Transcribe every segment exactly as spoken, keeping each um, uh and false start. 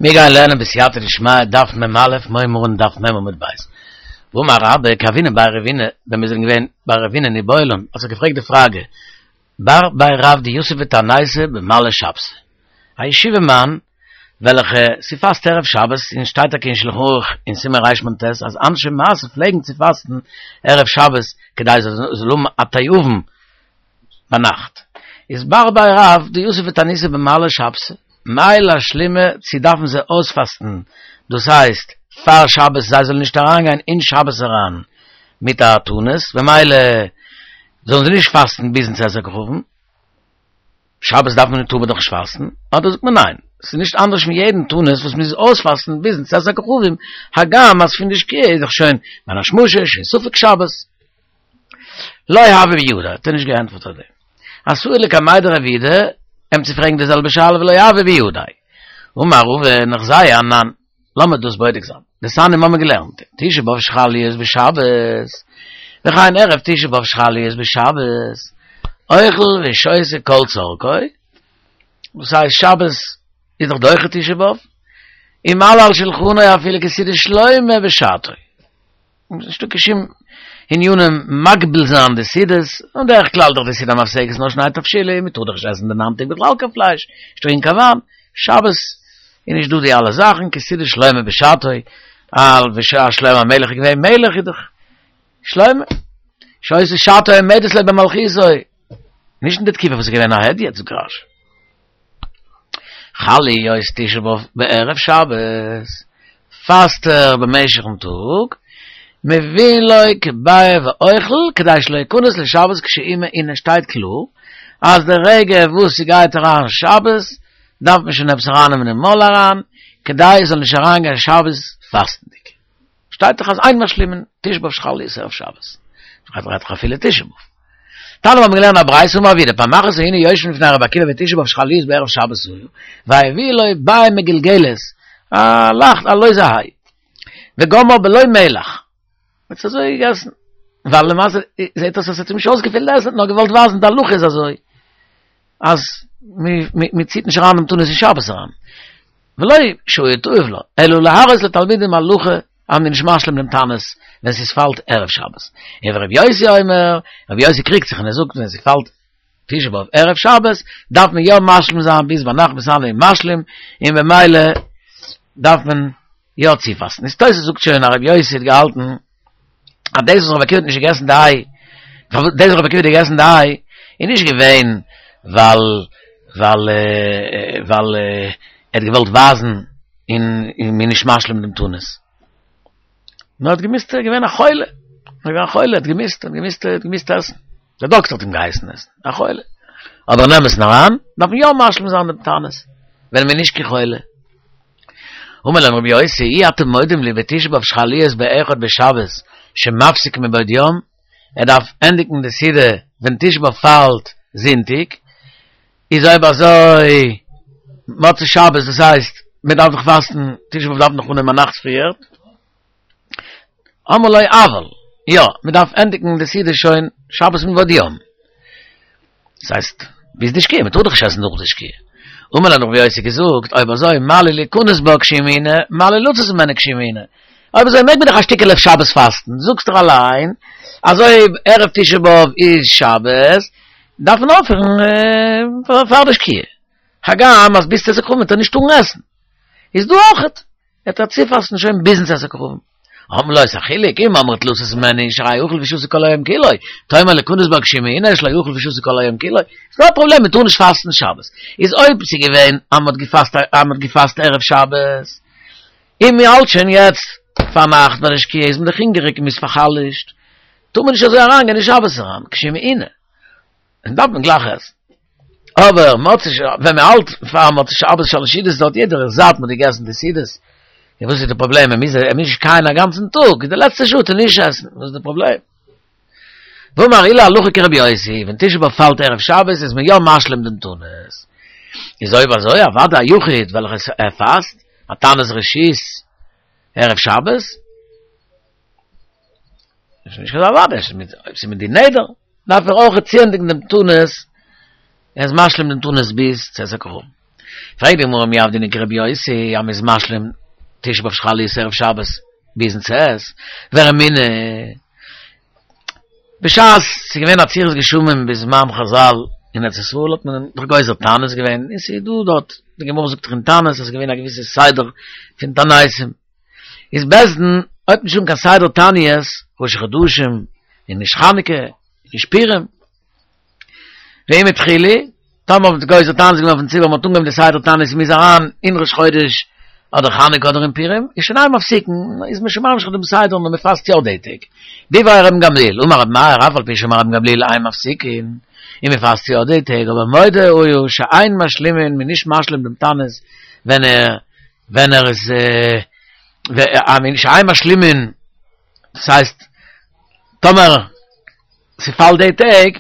מיר גייען לערנען בסייעתא דשמיא דף מ א, מורה מרן דף מ עמוד ב'. ואמר רבה כי הוינן בי רבינא, ווען מיר זענען געווען ביי רבינא איבעיא להו, האט זיך געפרעגט די פראגע, בר בי רב דיתיב בתעניתא במעלי שבתא, א ישיבה מאן וועלכע ס'פאסט ערב שבת, און שטייט טאקע אין שלחן ערוך אין סימן רמ ט אז אנשי מעשה פלעגן צו פאסטן ערב שבת כדי זיי זאלן האבן א תיאבון ביינאכט, איז בר בי רב דיתיב בתעניתא במעלי שבתא, מהו לאשלומי צו דארפן זיי אויספאסטן, דאס הייסט פאר שבת זיי זאלן נישט אריינגיין אין שבת אריין מיט א תענית, במילא זאלן זיי נישט פאסטן ביזן צאת הכוכבים, שבת דארף מען טאר מען דאך נישט פאסטן, אדער זאגט מען ניין, ס'איז נישט אנדערש פון יעדן תענית וואס מ'מוז אויספאסטן ביזן צאת הכוכבים, הגם אז פון די שקיעה איז דאך שוין בין השמשות, שוין ספק שבת. לא הוה בידיה, האט ער נישט געענטפערט אויף דעם. אתאי לקמיה דרב יהודה, אים צו פרעגן די זעלבע שאלה ולא הוה בידיה. אמר רבא ניחזיה אנן, לאמיר דאס בודק זיין. דתניא מיר האבן געלערנט, תשעה באב שחל להיות בשבת, וכן ערב תשעה באב שחל להיות בשבת, אוכל ושותה כל צרכו, דאס הייסט שבת איז דאך דוחה תשעה באב, ומעלה על שלחנו אפילו כסעודת שלמה בשעתו. נישטא קיין שום ענינים מגביל זיין די סעודות, און דרך כלל דאך די סעודה המפסקת נאר שני תבשילים, מען טאר דאך נישט עסן די ניין טעג בכלל קיין פלייש, נישט טרינקען קיין וויין, שבת איז נישט דא די אלע זאכן, כסעודת שלמה בשעתו, ווייל בשעת שלמה המלך איז געווען מלך איז דאך שלמה, שהיתה שעתו עומדת לו במלכותו, נישט אין די תקופה וואס איז געווען א הדיוט זאגט רש י. חל להיות תשעה באב בערב שבת, פאסט ער במשך'ן טאג, מביאין לו כביעא ואוכל כדי שלא יכנס לשבת כשהיא מעונה שטייט קלאר אז די רגע וואס ס'גייט אריין שבת דארף מען שוין עפעס ארייננעמען אין מויל אריין כדי עס זאל נישט אריינגיין שבת פאסטנדיג. שטייט דאך אז אין משלימין תשעה באב שחל להיות ערב שבת. רעדט דאך אפילו תשעה באב. תניא מיר האבן געלערנט א ברייתא אמר רב יהודה פעם אחת היינו יושבים לפני רבי עקיבא ותשעה באב שחל להיות בערב שבת היה והביאו לו ביעה מגולגלת א לייכט א לויזע היי וגמר בלא מלח האט עס אזוי געגעסן ווייל למעשה זעט אויס אז עס האט אים נישט אויסגעפעלט עסן נאר געוואלט ווייזן די הלכה איז אזוי אז מען ציט נישט אריין דעם תענית אין שבת אריין ולא שהיה תאוב לה אלא להראות לתלמידים הלכה אז מ'איז נישט משלים דעם תענית ווען ס'פאלט ערב שבת. און ורבי יוסי אומר, רבי יוסי קריגט זיך און ער זאגט ווען ס'פאלט תשעה באב ערב שבת דארף מען יא משלים זיין ביז ביינאכט מתענה ומשלים און במילא דארף מען יא צופאסטן. איז תוס' זאגט שוין אז רבי יוסי האט געהאלטן אז דאס וואס רבי עקיבא האט נישט געגעסן די איי, דאס וואס רבי עקיבא האט געגעסן די איי איז נישט געווען ווייל ווייל ווייל ער האט געוואלט ווייזן און מ'איז נישט משלים דעם תענית. נאר האט געמוזט, ער איז געווען א חולה, ער איז געווען א חולה, האט געמוזט, האט געמוזט, האט געמוזט עסן. דער דאקטער האט אים געהייסן עסן, א חולה. אבער אין אמת'ן אריין, דארף מען יא משלים זיין דעם תענית, ווען מ'איז נישט קיין חולה. אמר להם רבי יוסי, אי אתם מודים לי בתשעה באב שחל להיות באחד בשבת שמפסיק מבעוד יום, ער דארף ענדיגן די סעודה ווען תשעה באב פאלט זונטאג, איז אויב אזוי מוצאי שבת דאס הייסט מען דארף דאך פאסטן תשעה באב דארף מען דאך אנהייבן א נאכט פריער, אמרו לו אבל, יא מען דארף ענדיגן די סעודה שוין שבת מבעוד יום, דאס הייסט ביז די שקיעה, מען טאר דאך נישט עסן נאך די שקיעה, אמר להם רבי יוסי געזאגט אויב אזוי מה לי ליכנס בה כשהיא מעונה, מה לי לצאת ממנה כשהיא מעונה, אויב אזוי מעג מען דאך א שטיקעלע אויף שבת פאסטן, זאגסט דאך אליין אז אויב ערב תשעה באב איז שבת דארף מען אויפהערן פאר די שקיעה, הגם אז ביז צאת הכוכבים וועט ער נישט טארן עסן, איז דא אויכעט, וועט ער צופאסטן שוין ביזן צאת הכוכבים. אמרו לו איז א חילוק, אם אמרת לצאת ממנה שהרי אכל ושתה כל היום כולו, תאמר ליכנס בה כשהיא מעונה שלא אכל ושתה כל היום כולו, ס'איז דא א פראבלעם מען טאר נישט פאסטן שבת, איז אויב ס'איז געווען אז מ'האט געפאסט אז מ'האט געפאסט ערב שבת, און מ'האלט שוין יעצט פארנאכט ביי די שקיעה איז מען דאך הונגעריג און מ'איז פאר'חלש'ט, טאר מען נישט אזוי אריינגיין אין שבת אריין, כשהיא מעונה. און דארף מען גלייך עסן. אבער מוצאי ש ווען מען האלט פאר מוצאי שבת שלש סעודות דארט יעדער איז זאט מען האט געגעסן די סעודות, און וואס איז די פראבלעם ער מוז ער מוז נישט קייען א גאנצן טאג, די לעצטע שעה טאר נישט עסן, וואס איז די פראבלעם? ואמר עולא הלכה כרבי יוסי, ווען תשעה באב פאלט ערב שבת איז מען יא משלים דעם תענית. איז אויב אזוי אוודאי א יחיד וועלכער ער פאסט א תענית רשות ערב שבת, איז נישט קיין אוודאי, אויב ס'איז מיט די נדר, דארף ער אויך צוענדיגן דעם תענית, ער איז משלים דעם תענית ביז צאת הכוכבים. פרעגט די גמרא מי עבדינן כרבי יוסי, אז מ'איז משלים תשעה באב שחל להיות ערב שבת ביזן צאת, ורמינהי, בשעת ס'איז געווען עצירת גשמים בזמן חזל אין ארץ ישראל האט מען דאך גוזר תענית געווען, און ס'איז דא דארט, די גמרא זאגט דאך אין תענית אז ס'איז געווען א געוויסע סדר פון תעניתים, איז בית דין אויב נישט האבן קיין סדר תעניות, ראשי חדשים, און נישט חנוכה, און נישט פורים. ואם התחילו, טאמער האט מען גוזר תענית געווען אויפן ציבור, מען האט אנגעהויבן די סדר תענית מ'איז אריין אין ראש חודש אדער חנוכה אדער אין פורים, איז שוין אין מפסיקין, איז מען שוין ממשיך דעם סדר און מען פאסט יא די טעג. דברי רבן גמליאל, אמר רבי מאיר אף על פי שאמר רבן גמליאל אין מפסיקין, און מען פאסט יא די טעג, אבער מודה היה שאין משלימין, מען איז נישט משלים דעם תענית ווען ער ווען ער איז שאין משלימין, דאס הייסט טאמער ס'פאלט די טעג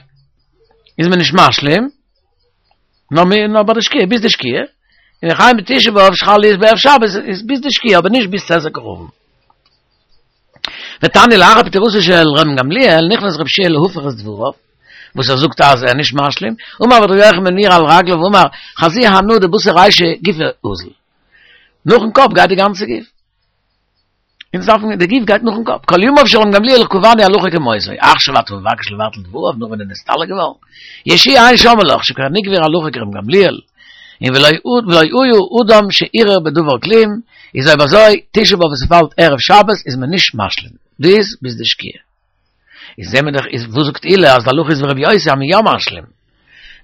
איז מען נישט משלים, נאר מיר נאר ביי די שקיעה, ביז די שקיעה, און וכן בתשעה באב שחל להיות בערב שבת איז ביז די שקיעה אבער נישט ביז צאת הכוכבים. ותניא לאחר פטירתו של רבן גמליאל נכנס רבי יהושע להפוך את דבריו, וואס ער זאגט אז ער איז נישט משלים, אמר רבי יוחנן בן נורי על רגליו ואמר חזי אנא דבתר רישא גופא אזיל, נאכן קאפ גייט די גאנצע גוף. אונז דארפן, די גוף גייט נאכן קאפ, כל ימיו של רבן גמליאל קבענו הלכה כמותו, עכשיו אתה מבקש לבטל דבריו נאך ווען ער איז נסתלק געווארן, יהושע אין שומעין לך שכבר נקבעה הלכה כרבן גמליאל, און ולא היה אדם שערער בדבר כלום, איז אויב אזוי תשעה באב וואס ס'פאלט ערב שבת איז מען נישט משלים, ביז ביז די שקיעה. איז זעהן מיר דאך איז וואס זאגט עולא אז די הלכה איז ווי רבי יוסי אז מ'איז יא משלים?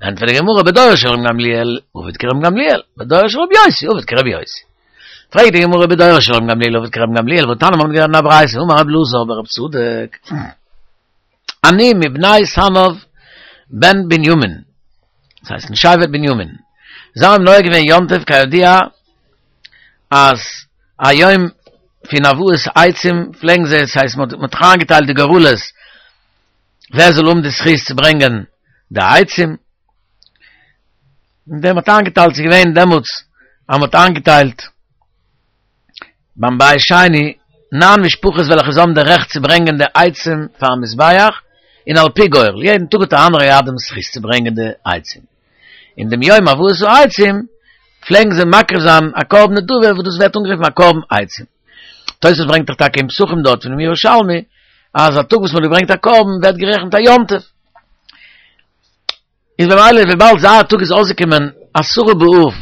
ענטפערט די גמרא בדורו של רבן גמליאל עביד כרבן גמליאל, בדורו של רבי יוסי עביד כרבי יוסי. פרעגט די גמרא בדורו של רבן גמליאל עביד כרבן גמליאל והתניא מ'האט געלערנט אין א ברייתא אמר רבי אלעזר ברב צדוק אני מבני סנאב בן בנימין דאס הייסט אין שבט בנימין זיי האבן נוהג געווען יום טוב כידוע אז א יום פון הבאת עצים פלעגן זיי עס הייסט מען האט איינגעטיילט די גורלות ווער זאל האבן די זכות צו ברענגען די עצים און ווען מ'האט איינגעטיילט ס'איז געווען דעמאלטס אז מ'האט איינגעטיילט ביים בית שני נײַן משפחות וועלכע זיי האבן די רעכט צו ברענגען די עצים פארן מזבח, און על פי גורל, יעדן טאג האט א אנדערער געהאט דעם זכות צו ברענגען די עצים. אין דעם יום הבאת העצים פלעגן זיי מקריב זיין א קרבן נדבה וואס דאס ווערט אנגערופן א קרבן עצים. תוספות ברענגט דאך טאקע אין פסחים דארט פונעם ירושלמי אז א טאג וואס מ'האט געברענגט א קרבן ווערט גערעכנט א יום טוב. איז במילא וויבאלד זייער טאג איז אויסגעקומען עשרה באב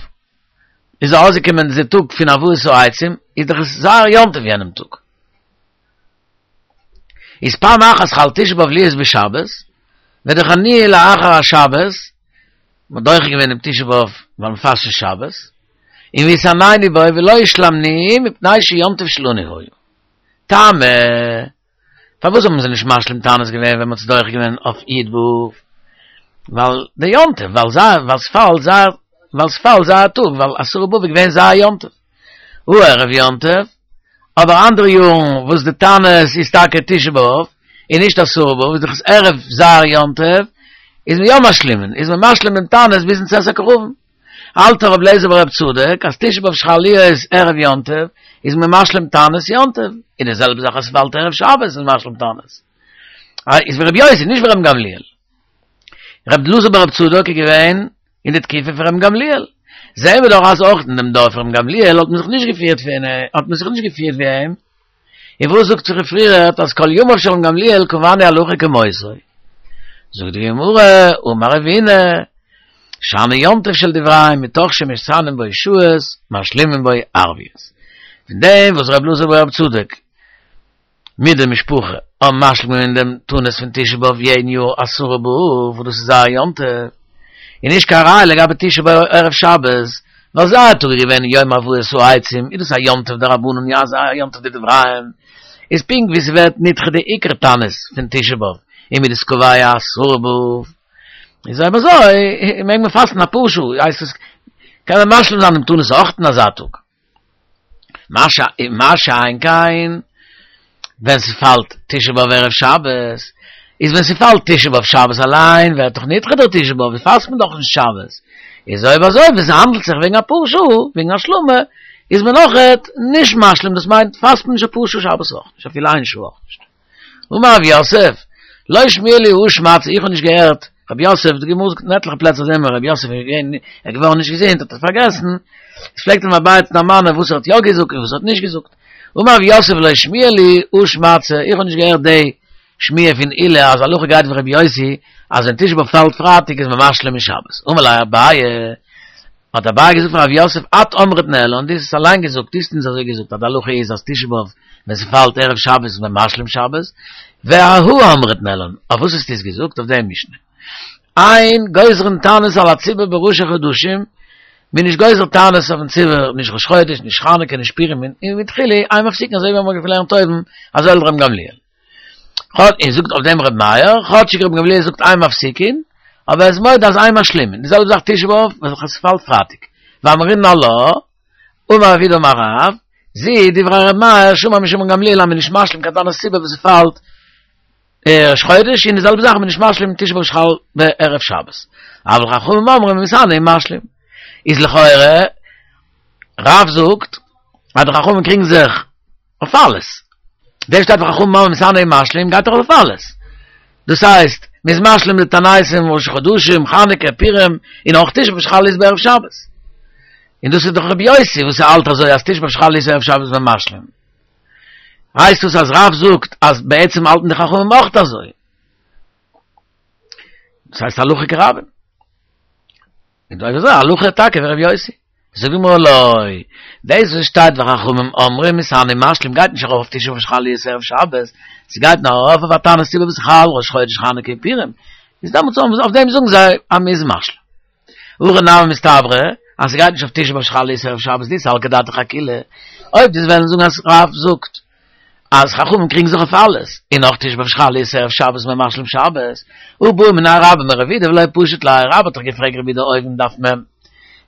איז אויסגעקומען די טאג פון הבאת העצים איז דאך עס זייער יום טוב יענעם טאג. איז פעם אחת חל תשעה באב להיות בשבת ודחנוהו לאחר השבת מ'האט דוחה געווען דעם תשעה באב ווייל מ'פאסט שוין שבת און והתענינו בו ולא השלמנוהו מפני שיום טוב שלנו היה. טעמא. פארוואס האבן זיי נישט משלים תענית געווען ווען מ'האט עס דוחה געווען אויף י' באב? ווייל די יום טוב, ווייל זייער, ווייל ס'פאלט זייער, ווייל ס'פאלט זייער טאג, ווייל עשרה באב איז געווען זייער יום טוב. הא ערב יום טוב, אבער אנדערע יארן וואס די תענית איז טאקע תשעה באב, און נישט עשרה באב, איז דאך עס ערב זייער יום טוב, איז מען יא משלימין, איז מען משלים דעם תענית ביזן צאת הכוכבים. האלט רבי אליעזר ברב צדוק אז תשעה באב שחל להיות ערב יום טוב איז מען משלים תענית יום טוב, און די זעלבע זאך אז ס'פאלט ערב שבת איז מען משלים תענית. איז ווי רבי יוסי נישט ווי רבן גמליאל. רבי אלעזר ברב צדוק איז געווען אין די תקופה פון רבן גמליאל. זעהן מיר דאך אז אויך אין דעם דור פון רבן גמליאל האט מען זיך נישט געפירט ווי האט מען זיך נישט געפירט ווי אים. און וואס זאגט זיך פריערט אז כל ימיו של רבן גמליאל קבענו הלכה כמותו. זאגט די גמרא, אמר רבינא, שאני יום טוב של דבריהם מתוך שמתענין בו שעות משלימין בו ערביות. פון דעם וואס ר' אלעזר ברב צדוק מיט די משפחה האבן משלים געווען דעם תענית פון תשעה באב יעדן יאר עשרה באב וואס דאס איז זייער יום טוב, איז נישט קיין ראיה לגבי תשעה באב ערב שבת, ווייל זייער טאג איז געווען יום הבאת העצים, איז דאס א יום טוב דרבנן יא אזא יום טוב דדבריהם, איז פונקט ווי ס'ווערט נדחה די עיקר תענית פון תשעה באב, און מ'איז דאס קובע עשרה באב, איז אויב אזוי מעג מען פאסטן אפאר שעה, הייסט עס קען מען משלים זיין דעם תענית אויך אין אזא טאג. מה שאין כן ווען ס'פאלט תשעה באב ערב שבת, איז ווען ס'פאלט תשעה באב שבת אליין ווערט דאך נדחה דער תשעה באב, פאסט מען דאך נישט שבת, איז אויב אזוי ווען ס'האנדלט זיך וועגן אפאר שעה, וועגן השלמה, איז מען אויכעט נישט משלים, דאס מיינט פאסט מען נישט אפאר שעה שבת אויך נישט, אפילו איין שעה אויך נישט. אמר רב יוסף, לא שמיע לי הא שמעתתא, איך האב נישט געהערט רב יוסף, די גמרא זאגט אין עטליכע פלעצער זעהן מיר רב יוסף איז געווען, ער איז געווארן נישט געזונט האט ער פארגעסן, עס פלעגט אים אביי דערמאנען וואס ער האט יא געזאגט און וואס ער האט נישט געזאגט. אמר רב יוסף לא שמיע לי הא שמעתתא, איך האב נישט געהערט די שמועה פון עולא אז הלכה גייט ווי רבי יוסי אז ווען תשעה באב פאלט פרייטאג איז מען משלים אין שבת. אמר ליה אביי, האט אביי געזאגט פאר רב יוסף את אמרת ניהלן, דו האסט עס אליין געזאגט, דו האסט אונז אזוי געזאגט אז די הלכה איז אז תשעה באב ווען ס'פאלט ערב שבת איז מען משלים שבת, ואהא אמרת ניהלן, אויף וואס האסטו עס געזאגט? אויף דעם משנה. אין גוזרין תענית על הציבור בראשי חדשים, מ'איז נישט גוזר תענית אויפן ציבור, נישט ראש חודש, נישט חנוכה, נישט פורים, און מתחילה אין מפסיקין אזוי ווי מ'האט געלערנט אויבן, אזוי האלט רבן גמליאל. און זאגט אויף דעם ר' מאיר, כאטשיג רבן גמליאל זאגט אין מפסיקין, אבער ער איז מודה אז אין משלימין, די זעלבע זאך תשעה באב, וועלכע ס'פאלט פרייטאג. ואמרינן עלה, אמר רב יהודה אמר רב, זו דברי ר' מאיר, שאמר משום רבן גמליאל אז מ'איז נישט משלים קיין תענית ציבור וואס ס'פאלט ראש חודש, און די זעלבע זאך מ'איז נישט משלים תשעה באב שחל בערב שבת. אבל חכמים אומרים מתענה ומשלים. איז לכאורה, רב זאגט אז די חכמים קריגן זיך אויף אלעס. דער שטייט וחכמים אומרים מתענה ומשלים גייט דאך אויף אלעס. דאס הייסט, מ'איז משלים די תעניתים ראש חדשים, חנוכה, פורים, און אויך תשעה באב שחל להיות בערב שבת. און דאס איז דאך רבי יוסי וואס האלט אזוי אז תשעה באב שחל להיות ערב שבת איז מען משלים. הייסט דאס אז רב זאגט אז בעצם האלטן די חכמים אויך אזוי. דאס הייסט הלכה כרבים. און אויב אזוי הלכה טאקע ווי רבי יוסי. זאגט די גמרא לא, דאס וואס שטייט וחכמים אומרים מתענה ומשלים גייט נישט ארויף אויף תשעה באב שחל להיות ערב שבת, ס'גייט נאר ארויף אויף א תענית ציבור וואס חל ראש חודש חנוכה און פורים, איז דעמאלטס אויף דעם זאגן זיי אז מ'איז משלים. הכי נמי מסתברא אז ס'גייט נישט אויף תשעה באב שחל להיות ערב שבת דאי סלקא דעתך אכולהו, אויב דו'סט וועלן זאגן אז רב זאגט אז חכמים קריגן זיך אויף אלעס, און אויך תשעה באב שחל להיות ערב שבת איז מען משלים שבת, הא בעא מיניה רבה מרב יהודה ולא פשט ליה, רבה האט דאך געפרעגט רב יהודה אויבן דף מ',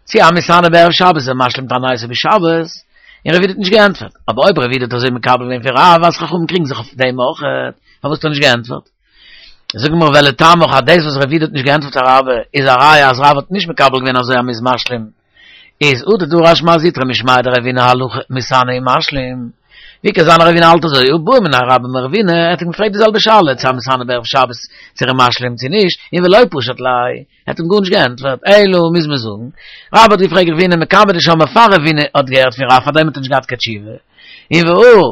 צי המתענה בערב שבת איז ער משלים תעניתו בשבת, און רב יהודה האט נישט געענטפערט, אבער אויב רב יהודה האט אזוי מקבל געווען פון רב אז חכמים קריגן זיך אויף דעם אויך, פארוואס האט ער נישט געענטפערט? זאגט די גמרא ולטעמיך אז דאס וואס רב יהודה האט נישט געענטפערט פאר רבה איז א ראיה אז רב האט נישט מקבל געווען אזוי אז מ'איז משלים, איז הא דדרש מר זוטרא משמיה דרבינא הלכה מתענה ומשלים, ווי קען זיין אז רבינא האלט אזוי הא בעא מיניה רבה מרבינא, ער האט אים געפרעגט די זעלבע שאלה צו המתענה בערב שבת צו ער איז משלים צו נישט, און ולא פשט ליה, ער האט אים גארנישט געענטפערט, אלא מוז מען זאגן, רבה האט געפרעגט רבינא מקמי דשמעה פאר רבינא האט געהערט פון רב פארדעם האט ער נישט געהאט קיין תשובה, און והא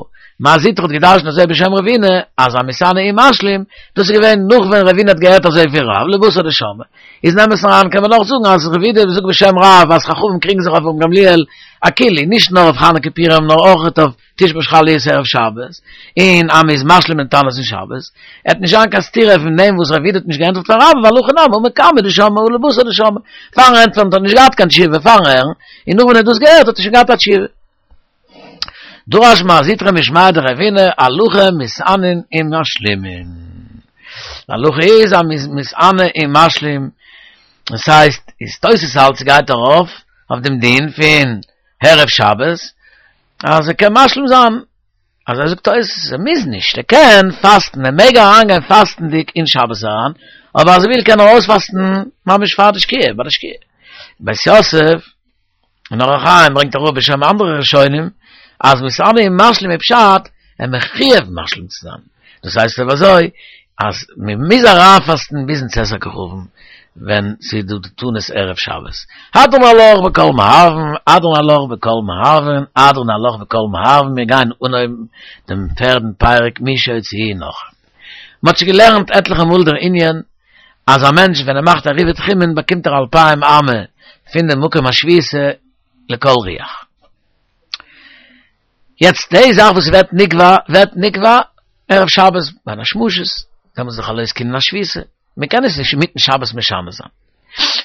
מר זוטרא האט געדרשנט אזוי בשם רבינא אז המתענה ומשלים, דאס איז געווען נאך ווען רבינא האט געהערט אזוי פון רב, לבתר דשמעה. איז אין אמת'ן אריין קען מען נאך זאגן אז רב יהודה זאגט בשם רב אז חכמים קריגן זיך אויף רבן גמליאל אכולהו, נישט נאר אויף חנוכה פורים נאר אויך אויף תשעה באב שחל להיות ערב שבת, און אז מ'איז משלים אין תענית אין שבת, עט נישט זיין קיין סתירה פון דעם וואס רב יהודה האט נישט געענטפערט פאר רבה ווייל הכי נמי הא מקמי דשמעה הא לבתר דשמעה, פארן ענטפערן האט ער נישט געהאט קיין תשובה פארן הערן, און נאך ווען ער האט דאס געהערט האט ער שוין געהאט א תשובה. דרש מר זוטרא משמיה דרבינא הלכה מתענין ומשלימין. די הלכה איז אז מ'איז מתענה און משלים, דאס הייסט איז תוס' האלט ס'גייט ארויף אויף דעם דין פון ערב שבת אז ער קען משלים זיין, אזוי זאגט תוס' ער מוז נישט, ער קען פאסטן, ער מעג אריינגיין פאסטנדיג אין שבת אריין, אבער אז ער וויל קען ער אויספאסטן ממש פאר די שקיעה, ביי די שקיעה. בית יוסף. און אור החיים ברענגט אראפ בשם אנדערע ראשונים אז מתענה ומשלים איז פשט ער מחויב משלים צו זיין, דאס הייסט אויב אזוי אז מען מוז אריינפאסטן ביזן צאת הכוכבים ווען ס'איז דא די תענית ערב שבת. הדרן עלך בקול מערבין, הדרן עלך בקול מערבין, הדרן עלך בקול מערבין, מיר גייען אנהויבן דעם פערדן פרק מי שהוציאוהו נכרים. מען האט שוין געלערנט עטליכע מאל דער ענין אז א מענטש ווען ער מאכט עירובי תחומין באקומט ער אלפיים אמה פון די מקום השביתה לכל רוח. יעצט די זאך וואס ווערט נקבע ווערט נקבע ערב שבת בין השמשות, דעמאלטס איז דאך חלות קנין השביתה, מען קען עס נישט אינמיטן שבת משנה זיין.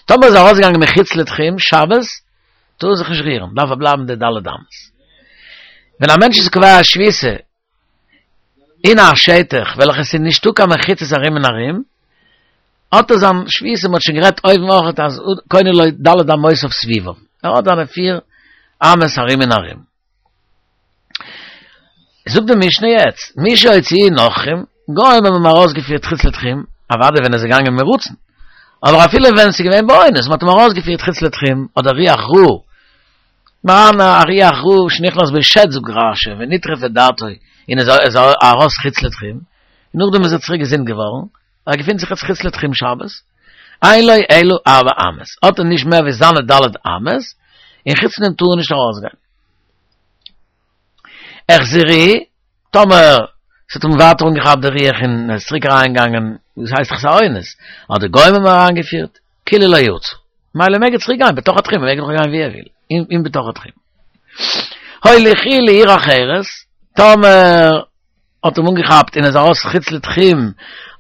טאמער איז ער ארויסגעגאנגען מחוץ לתחום שבת טאר ער זיך נישט רירן, דארף ער בלייבן די ד' אמות. ווען א מענטש איז קובע א שביתה אין א שטח וועלכע ס'איז נישטא קיין מחיצות ארום און ארום, האט ער זיין שביתה, מ'האט שוין גערעדט אויבן אויך אז קונה לו ד' אמותיו סביביו, ער האט זיינע פיר אמות ארום און ארום. זאגט די משנה יעצט, מי שהוציאוהו נכרים, גוים האבן אים ארויסגעפירט חוץ לתחום, אוודאי ווען ער איז געגאנגען מרצון, אבער אפילו ווען ס'איז געווען באונס, מ'האט אים ארויסגעפירט חוץ לתחום, אדער רוח רעה, מרן א רוח רעה שנכנס בו שד זאגט רש"י ונטרפה דעתו און איז איז ארויס חוץ לתחום, נאכדעם איז ער צוריק געזונט געווארן, ער געפינט זיך יעצט חוץ לתחום שבת, אין לו אלא ארבע אמות, האט ער נישט מער ווי זיינע ד' אמות, און חוץ פון דעם טאר ער נישט ארויסגיין. החזירוהו, טאמער ס'האט אים ווייטער אנגעכאפט די רוח און ער איז צוריק אריינגעגאנגען, דאס הייסט דאך ס'איז א אונס, האט די גוים אים אריינגעפירט, כולה לא יצא. מילא מעג ער צוריק גיין בתוך התחום, ער מעג דאך גיין ווי ער וויל, אין בתוך התחום. הוליכוהו לעיר אחרת, טאמער האט אים אנגעכאפט און ער איז ארויס חוץ לתחום,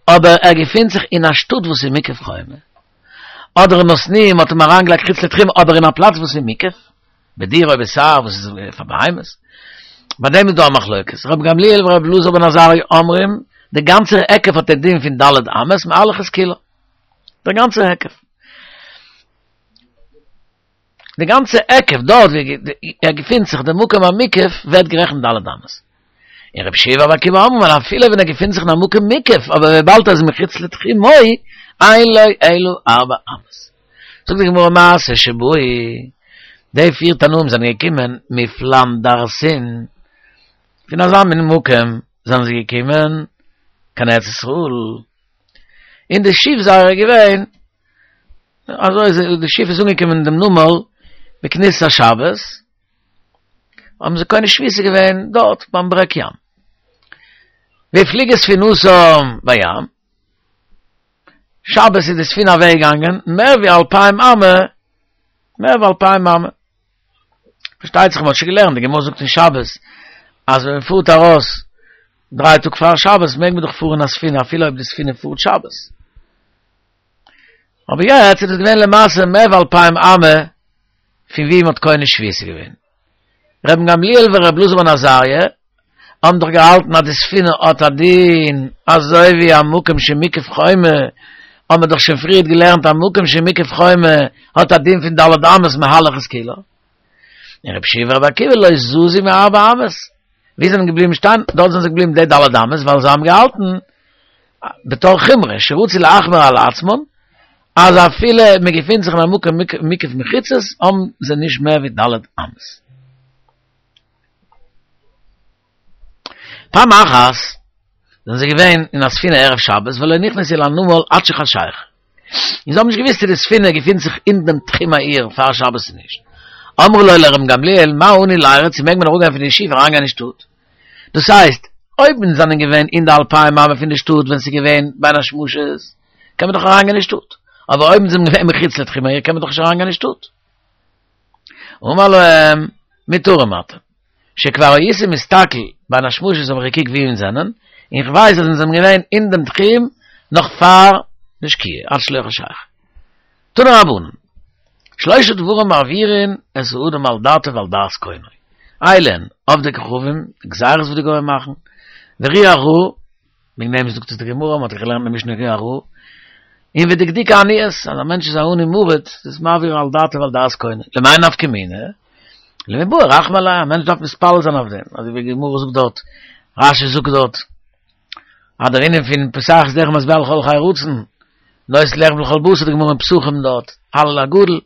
אבער ער געפינט זיך אין א שטאט וואס איז מוקף חומה, אדער נתנוהו מ'האט אים אריינגעלייגט חוץ לתחום אבער אין א פלאץ וואס איז מוקף, בדיר או בסהר וואס איז פאר בהמות. ביי דעם איז דא א מחלוקת, רבן גמליאל ורבי אלעזר בן עזריה אומרים, דער גאנצער היקף האט א דין פון ד' אמות מהלך את כולה. דער גאנצער היקף. די גאנצע היקף דארט ווי ער געפינט זיך, דער מקום המוקף, ווערט גערעכנט ד' אמות. און רבי יהושע ורבי עקיבא אומרים אז אפילו ווען ער געפינט זיך אין א מקום מוקף, אבער וויבאלד ער איז מחוץ לתחומו, אין לו אלא ארבע אמות. זאגט די גמרא מעשה שבאו, די פיר תנאים זענען געקומען מפלנדרסין, פון אזא מין מקום זענען זיי געקומען קיין ארץ ישראל, און די שיף זייערע איז געווען, אזוי איז די שיף איז אנגעקומען אין דעם נמל בכניסת השבת, האבן זיי קונה שביתה געווען דארט ביים ברעג ים. והפליגה ספינתם בים, שבת איז די ספינה אוועק געגאנגען מער ווי אלפיים אמה, מער ווי אלפיים אמה. פארשטייט זיך מען האט שוין געלערנט, די גמרא זאגט אין שבת, אז ווען מען פארט ארויס דריי טאג פאר שבת מעג מען דאך פארן א ספינה אפילו אויב די ספינה פארט שבת. אבער יעצט איז דאס געווען למעשה מער ווי אלפיים אמה פון ווי מען האט קונה שביתה געווען. רבן גמליאל ור' אלעזר בן עזריה האבן דאך געהאלטן אז די ספינה האט א דין אזוי ווי א מקום שמוקף חומה, האבן מיר דאך שוין פריערט געלערנט א מקום שמוקף חומה האט א דין פון ד' אמות מהלך את כולה. און רבי יהושע ורבי עקיבא לא זזו מארבע אמות. ווי זענען געבליבן שטיין? דארט זענען זיי געבליבן די ד' אמות ווייל זיי האבן געהאלטן בתור חומרא שרצו להחמיר על עצמן אז אפילו מען געפינט זיך אין א מקום מוקף מחיצות האבן זיי נישט מער ווי ד' אמות. פעם אחת זענען זיי געווען אין א ספינה ערב שבת ולא נכנסו אל הנמל עד שחשיכה, און זיי האבן נישט געוואוסט צו די ספינה געפינט זיך אין דעם תחום העיר פאר שבת צו נישט. אמרו לו לרבן גמליאל מהו אנו לירד צו מעג מען אראפגיין פון די שיף אריינגיין אין שטאט? דאס הייסט, אויב אונז זענען געווען אין די אלפיים אמה פון די שטאט ווען ס'איז געווען בין השמשות, קען מען דאך אריינגיין אין שטאט, אבער אויב אונז זענען געווען מחוץ לתחום העיר קען מען דאך נישט אריינגיין אין שטאט. אמר להם, מותרים אתם, שכבר הייתי מסתכל בין השמשות האב איך געקוקט ווי אונז זענען, און כ'ווייס אז אונז זענען געווען אין דעם תחום נאך פאר די שקיעה, עד שלא חשיכה. תנו רבנן, שלשה דברים מעבירין את האדם על דעתו ועל דעת קונו, אלו הן, עובדי כוכבים, גזירות וואס די גוים מאכן, ורוח רעה, וועגן דעם זאגט עס די גמרא, מען האט געלערנט אין משנה רוח רעה, און ודקדוקי עניות, אז א מענטש איז א עני מרוד, איז מעביר על דעתו ועל דעת קונו, למאי נפקא מינה? למיבעי רחמי עליה, א מענטש דארף מתפלל זיין אויף דעם, אזוי ווי די גמרא זאגט דארט, רש"י זאגט דארט, אז דער ענין פון פותח את ידך ומשביע לכל חי רצון, נותן לחם לכל בשר, די גמרא אין פסחים דארט, הלל הגדול,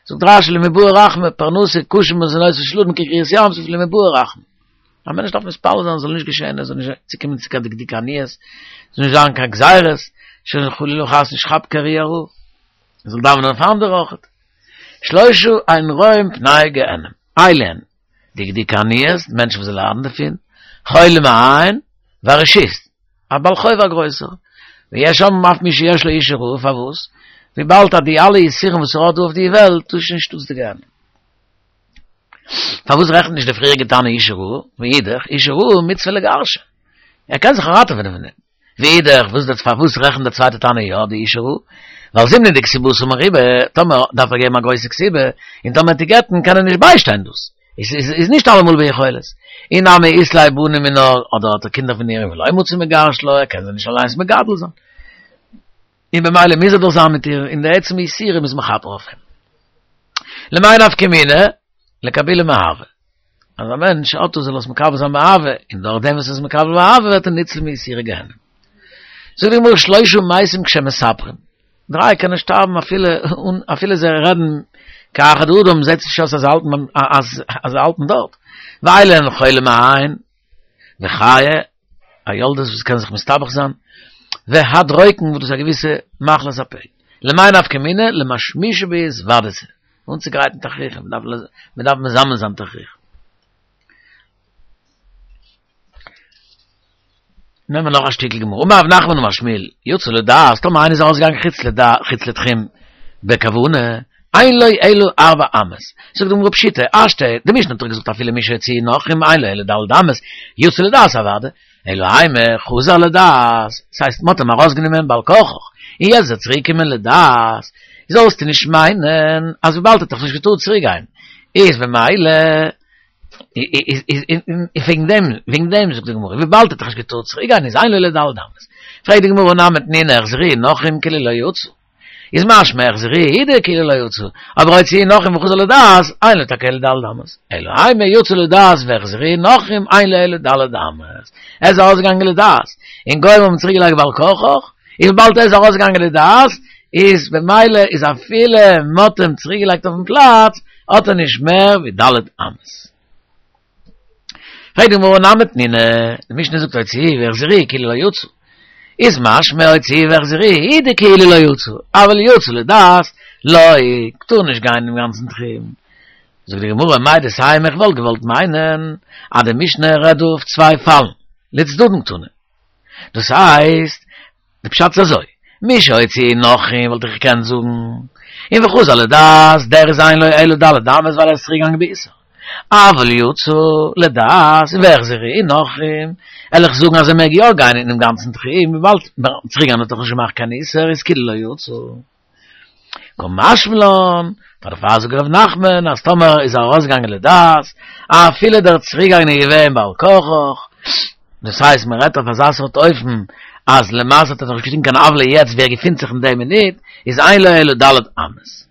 זאגט רש"י למיבעי רחמי, פרנסה, קשה מזונותיו של אדם כקריעת ים סוף למיבעי רחמי. א מענטש דארף מתפלל זיין זאל נישט געשען, עס זאל נישט צוקומען צו קיין דקדוקי עניות, עס זאל נישט זיין קיין גזירות, שוין חלילה וחס נישט כאפן קיין רוח רעה, ער זאל דאווענען אויף אנדערע אויכעט. שלושה אין רואים פני גיהנם, אלו הן, דקדוקי עניות, מענטשן וואס ליידן דערפון, חולים העין, והרשות, א בעל חוב א גרויסער, ויש אומרים אף מי שיש לו אישה רעה, פארוואס? וויבאלד אז די אלע יסורים וואס ער האט דא אויף די וועלט, דאס איז נישט אויס די גיהנם. פארוואס רעכנט נישט די פריעריגע תנא אישה רעה? ואידך, אישה רעה מצוה לגרשה. ער קען זיך ראטעווען פון דעם. ואידך, וואס דער פארוואס רעכנט דער צווייטע תנא יא די אישה רעה? ווייל זימנין דכתובתה מרובה, טאמער דארף ער געבן א גרויסע כתובה, און טאמער וועט ער גט'ן קען ער נישט ביישטיין דאס. איז איז נישט אלעמאל ביכולת. אי נמי אית ליה בנים מינה, אדער האט ער קינדער פון איר ולא מצי מגרש לה, ער קען זיי נישט אליינס מגדל זיין. און במילא מוז ער דאך זיין מיט איר, און די עצם יסורים איז מכפר אויף אים. למאי נפקא מינה? לקבולי מאהבה. אז א מענטש האט דאס זאל עס מקבל זיין באהבה, און דורך דעם וואס ער איז מקבל באהבה ווערט ער ניצול מיסורי גיהנום. זאגט די גמרא שלושה מתים כשהם מספרים, דריי קענען שטארבן אפילו אן אפילו זיי רעדן כאחד האדם זעט זיך נישט אויס אז זיי האלטן אז זיי האלטן דארט. ואלו הן חולים העין וחיה, א יולדת וואס קען זיך מסתבך זיין, והדרוקן וואס דאס איז א געוויסע מחלת הפה. למאי נפקא מינה, למשמישי בהתוודתא. אנצוגרייטן תכריכים, מען דארף מזמן זיין תכריכים. נעמען מיר נאך א שטיקל גמרא. אמר רב נחמן אמר שמואל, יצא לדעת, טאמער איינער איז ארויסגעגאנגען חוץ לדעת, חוץ לתחום בכוונה, אין לו אלא ארבע אמות. זאגט די גמרא פשיטא, השתא, די משנה האט דאך געזאגט אפילו מי שהוציאו נכרים אין לו אלא ד' אמות, יצא לדעת אוודאי, אלא אימא חזר לדעת, ס'הייסט מ'האט אים ארויסגענומען בעל כרחך, און יעצט איז ער צוריקגעקומען לדעת, זאלסטו נישט מיינען אז וויבאלד ער האט דאך נישט געטארט צוריקגיין, איז במילא איז איז איז וועגן דעם, וועגן דעם זאגט די גמרא, וויבאלד ער האט דאך נישט געטארט צוריקגיין איז אין לו אלא ד' אמות. פרעגט די גמרא הא נמי תנינא החזירוהו נכרים כאילו לא יצא. איז משמע החזירוהו הוא דכאילו לא יצא, אבער הוציאוהו נכרים וחזר לדעת, אין לו טאקע אלא ד' אמות. אלא אימא יצא לדעת והחזירוהו נכרים אין לו אלא ד' אמות. ער איז ארויסגעגאנגען לדעת, און גוים האבן צוריקגעלייגט בעל כרחך, איז וויבאלד ער איז ארויסגעגאנגען לדעת, איז במילא איז אפילו מ'האט אים צוריקגעלייגט אויפן פלאץ, האט ער נישט מער ווי ד' אמות. פרעגט די גמרא הא נמי תנינא, די משנה זאגט הוציאוהו והחזירוהו כאילו לא יצא, איז משמע הוציאוהו והחזירוהו הוא דכאילו לא יצא, אבל יצא לדעת לא, טאר נישט גיין אינעם גאנצן תחום. זאגט די גמרא מהו דתימא איך וואלט געוואלט מיינען אז די משנה רעדט דא אויף צוויי פאלן, לצדדין קתני, דאס הייסט די פשט איז אזוי, מי שהוציאוהו נכרים וואלט איך געקענט זאגן, און וחזר לדעת, דער איז אין לו אלא ד' אמות ווייל ער איז צוריק געגאנגען באיסור. אבל יצא לדעת והחזירוהו נכרים, וועל איך זאגן אז ער מעג יא גיין אינעם גאנצן תחום, וויבאלד צוריק גיין האט דאך נישט געמאכט קיין איסור איז כאילו לא יצא. קא משמע לן, פאר דערפאר זאגט ר' נחמן אז טאמער איז ער ארויסגעגאנגען לדעת, אפילו דער צוריקגיין איז געווען בעל כרחך, דאס הייסט מען רעדט אויף אזא סארט אופן אז למעשה האט ער נאך נישט געטון קיין עוולה יעצט ווי ער געפינט זיך אין די מינוט, איז אין לו אלא ד' אמות.